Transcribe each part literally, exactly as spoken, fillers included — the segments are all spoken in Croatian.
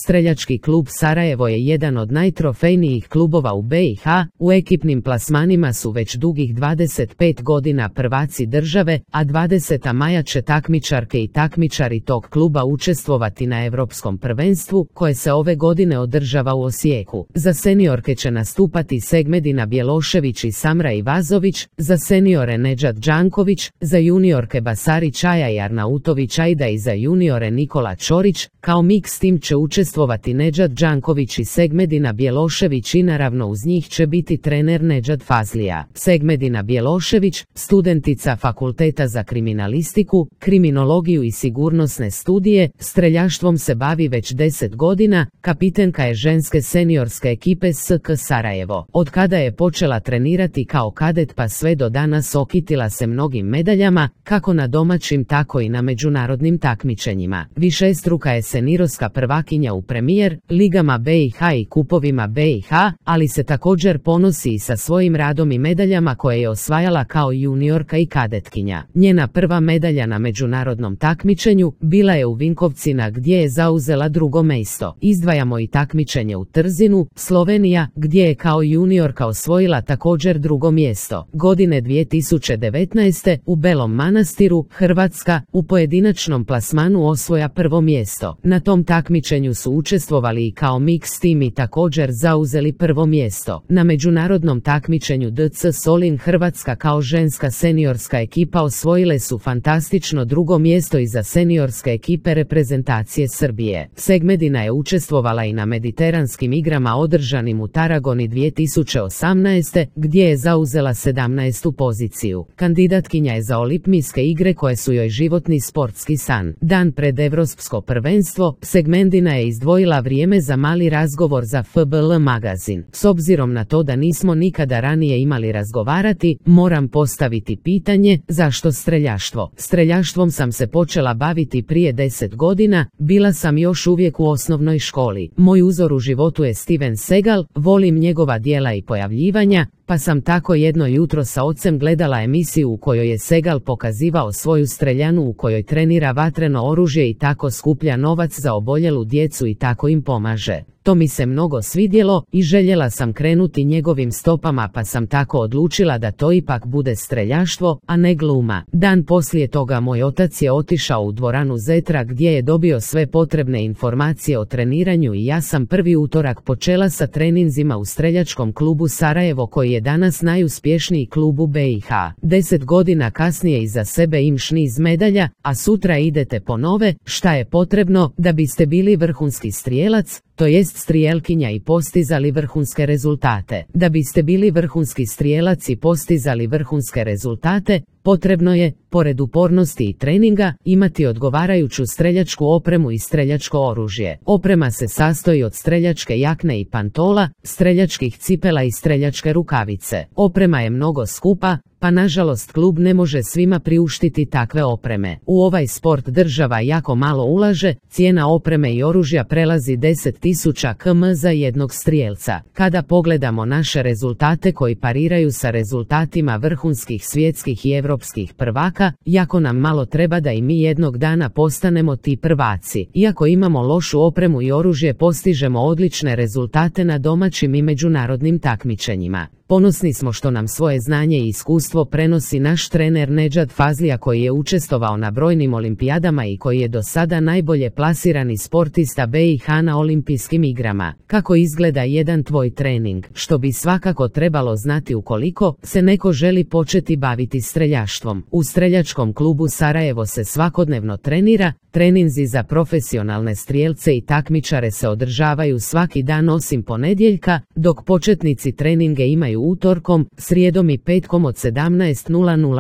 Streljački klub Sarajevo je jedan od najtrofejnijih klubova u be i ha, u ekipnim plasmanima su već dugih dvadeset pet godina prvaci države, a dvadeseta maja će takmičarke i takmičari tog kluba učestvovati na Europskom prvenstvu, koje se ove godine održava u Osijeku. Za seniorke će nastupati Segmedina Bjelošević i Samra Ivazović, za seniore Nedžad Đanković, za juniorke Basari Čaja i Arnautović Aida i za juniore Nikola Čorić. Kao mix tim će učestvovati Nedžad Đanković i Segmedina Bjelošević i naravno uz njih će biti trener Nedžad Fazlija. Segmedina Bjelošević, studentica Fakulteta za kriminalistiku, kriminologiju i sigurnosne studije, streljaštvom se bavi već deset godina, kapitenka je ženske seniorske ekipe es ka Sarajevo. Od kada je počela trenirati kao kadet pa sve do danas okitila se mnogim medaljama, kako na domaćim tako i na međunarodnim takmičenjima. Višestruka je seniorska prvakinja u Premier ligama be i ha i kupovima be i ha, ali se također ponosi i sa svojim radom i medaljama koje je osvajala kao juniorka i kadetkinja. Njena prva medalja na međunarodnom takmičenju bila je u Vinkovcima gdje je zauzela drugo mjesto. Izdvajamo i takmičenje u Trzinu, Slovenija, gdje je kao juniorka osvojila također drugo mjesto. Godine dvije tisuće devetnaeste u Belom Manastiru, Hrvatska, u pojedinačnom plasmanu osvoja prvo mjesto. Na tom takmičenju su učestvovali i kao mix tim i također zauzeli prvo mjesto. Na međunarodnom takmičenju de ce Solin Hrvatska kao ženska seniorska ekipa osvojile su fantastično drugo mjesto iza seniorske ekipe reprezentacije Srbije. Segmedina je učestvovala i na mediteranskim igrama održanim u Taragoni dvije tisuće osamnaeste. gdje je zauzela sedamnaestu poziciju. Kandidatkinja je za olimpijske igre koje su joj životni sportski san. Dan pred Evropsko prvenstvo, Segmedina je izdvojila vrijeme za mali razgovor za ef be el magazin. S obzirom na to da nismo nikada ranije imali razgovarati, moram postaviti pitanje, zašto streljaštvo? Streljaštvom sam se počela baviti prije deset godina, bila sam još uvijek u osnovnoj školi. Moj uzor u životu je Steven Seagal, volim njegova djela i pojavljivanja, pa sam tako jedno jutro sa ocem gledala emisiju u kojoj je Seagal pokazivao svoju streljanu u kojoj trenira vatreno oružje i tako skuplja novac za oboljelu djecu i tako im pomaže. To mi se mnogo svidjelo i željela sam krenuti njegovim stopama, pa sam tako odlučila da to ipak bude streljaštvo, a ne gluma. Dan poslije toga moj otac je otišao u dvoranu Zetra gdje je dobio sve potrebne informacije o treniranju i ja sam prvi utorak počela sa treninzima u streljačkom klubu Sarajevo koji je danas najuspješniji klub u be i ha. Deset godina kasnije iza sebe imaš niz medalja, a sutra idete po nove. Šta je potrebno da biste bili vrhunski strijelac, to jest strijelkinja i postizali vrhunske rezultate? Da biste bili vrhunski strijelac i postizali vrhunske rezultate, potrebno je, pored upornosti i treninga, imati odgovarajuću streljačku opremu i streljačko oružje. Oprema se sastoji od streljačke jakne i pantola, streljačkih cipela i streljačke rukavice. Oprema je mnogo skupa, pa nažalost klub ne može svima priuštiti takve opreme. U ovaj sport država jako malo ulaže, cijena opreme i oružja prelazi deset tisuća kuna za jednog strijelca. Kada pogledamo naše rezultate koji pariraju sa rezultatima vrhunskih svjetskih i europskih prvaka, jako nam malo treba da i mi jednog dana postanemo ti prvaci. Iako imamo lošu opremu i oružje, postižemo odlične rezultate na domaćim i međunarodnim takmičenjima. Ponosni smo što nam svoje znanje i iskustvo prenosi naš trener Nedžad Fazlija koji je učestvovao na brojnim olimpijadama i koji je do sada najbolje plasirani sportista be i ha na olimpijskim igrama. Kako izgleda jedan tvoj trening? Što bi svakako trebalo znati ukoliko se neko želi početi baviti streljaštvom. U streljačkom klubu Sarajevo se svakodnevno trenira, treninzi za profesionalne strijelce i takmičare se održavaju svaki dan osim ponedjeljka, dok početnici treninge imaju utorkom, srijedom i petkom od sedamnaest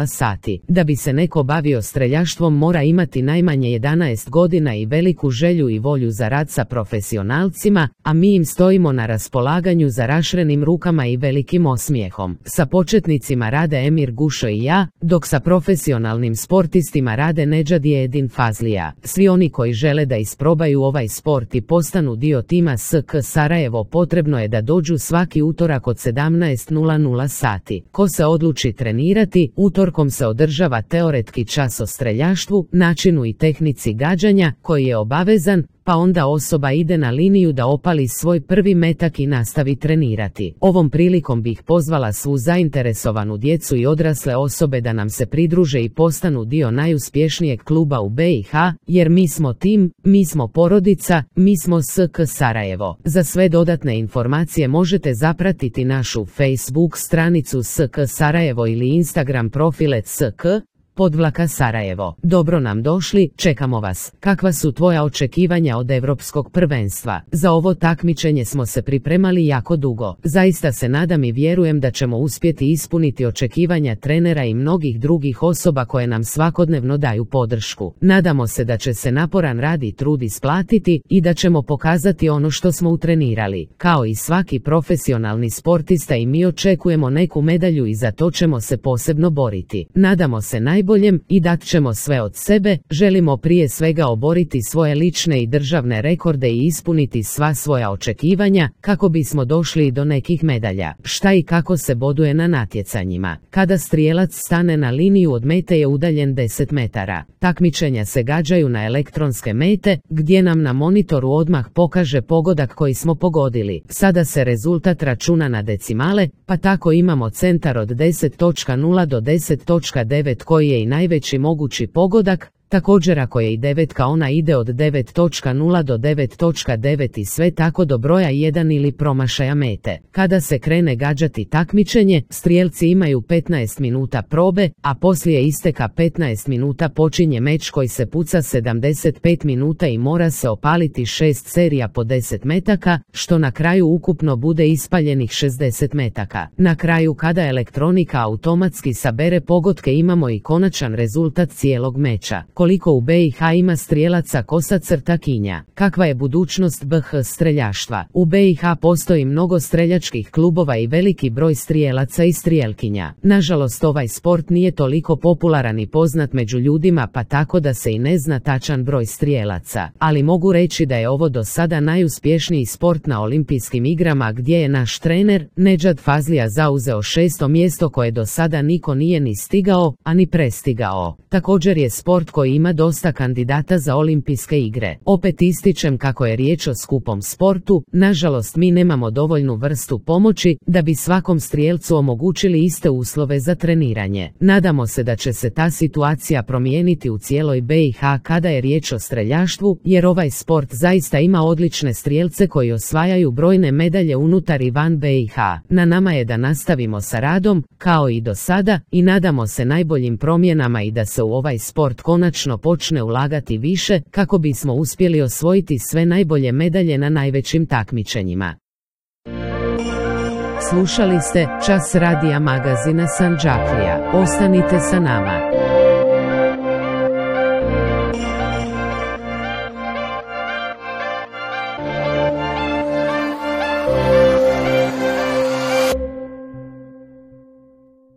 sati. Da bi se neko bavio streljaštvom mora imati najmanje jedanaest godina i veliku želju i volju za rad sa profesionalcima, a mi im stojimo na raspolaganju za rašrenim rukama i velikim osmijehom. Sa početnicima rade Emir Gušo i ja, dok sa profesionalnim sportistima rade Nedžad i Edin Fazlija. Svi oni koji žele da isprobaju ovaj sport i postanu dio tima es ka Sarajevo potrebno je da dođu svaki utorak od sedamnaest sati. Ko se odluči trenirati, utorkom se održava teoretski čas o streljaštvu, načinu i tehnici gađanja, koji je obavezan, pa onda osoba ide na liniju da opali svoj prvi metak i nastavi trenirati. Ovom prilikom bih pozvala svu zainteresovanu djecu i odrasle osobe da nam se pridruže i postanu dio najuspješnijeg kluba u B i H, jer mi smo tim, mi smo porodica, mi smo S K Sarajevo. Za sve dodatne informacije možete zapratiti našu Facebook stranicu S K Sarajevo ili Instagram profile S K podvlaka Sarajevo. Dobro nam došli, čekamo vas. Kakva su tvoja očekivanja od Europskog prvenstva? Za ovo takmičenje smo se pripremali jako dugo. Zaista se nadam i vjerujem da ćemo uspjeti ispuniti očekivanja trenera i mnogih drugih osoba koje nam svakodnevno daju podršku. Nadamo se da će se naporan rad i trud isplatiti i da ćemo pokazati ono što smo utrenirali. Kao i svaki profesionalni sportista i mi očekujemo neku medalju i za to ćemo se posebno boriti. Nadamo se najbolje boljem i dat ćemo sve od sebe, želimo prije svega oboriti svoje lične i državne rekorde i ispuniti sva svoja očekivanja kako bismo došli do nekih medalja. Šta i kako se boduje na natjecanjima? Kada strijelac stane na liniju od mete je udaljen deset metara. Takmičenja se gađaju na elektronske mete, gdje nam na monitoru odmah pokaže pogodak koji smo pogodili. Sada se rezultat računa na decimale, pa tako imamo centar od deset točka nula do deset točka devet koji je i najveći mogući pogodak. Također ako je i devetka ona ide od devet točka nula do devet točka devet i sve tako do broja jedan ili promašaja mete. Kada se krene gađati takmičenje, strijelci imaju petnaest minuta probe, a poslije isteka petnaest minuta počinje meč koji se puca sedamdeset pet minuta i mora se opaliti šest serija po deset metaka, što na kraju ukupno bude ispaljenih šezdeset metaka. Na kraju kada elektronika automatski sabere pogodke imamo i konačan rezultat cijelog meča. Koliko u B i H ima strijelaca kosa crta kinja? Kakva je budućnost B H streljaštva? U B i H postoji mnogo streljačkih klubova i veliki broj strijelaca i strijelkinja. Nažalost ovaj sport nije toliko popularan i poznat među ljudima pa tako da se i ne zna tačan broj strijelaca. Ali mogu reći da je ovo do sada najuspješniji sport na olimpijskim igrama gdje je naš trener Nedžad Fazlija zauzeo šesto mjesto koje do sada niko nije ni stigao, a ni prestigao. Također je sport koji ima dosta kandidata za olimpijske igre. Opet ističem kako je riječ o skupom sportu, nažalost mi nemamo dovoljnu vrstu pomoći da bi svakom strijelcu omogućili iste uslove za treniranje. Nadamo se da će se ta situacija promijeniti u cijeloj B i H kada je riječ o streljaštvu, jer ovaj sport zaista ima odlične strijelce koji osvajaju brojne medalje unutar i van B i H. Na nama je da nastavimo sa radom, kao i do sada, i nadamo se najboljim promjenama i da se u ovaj sport konačno počne ulagati više kako bismo uspjeli osvojiti sve najbolje medalje na najvećim takmičenjima. Slušali ste Čas radija magazina Sandžaklija. Ostanite sa nama.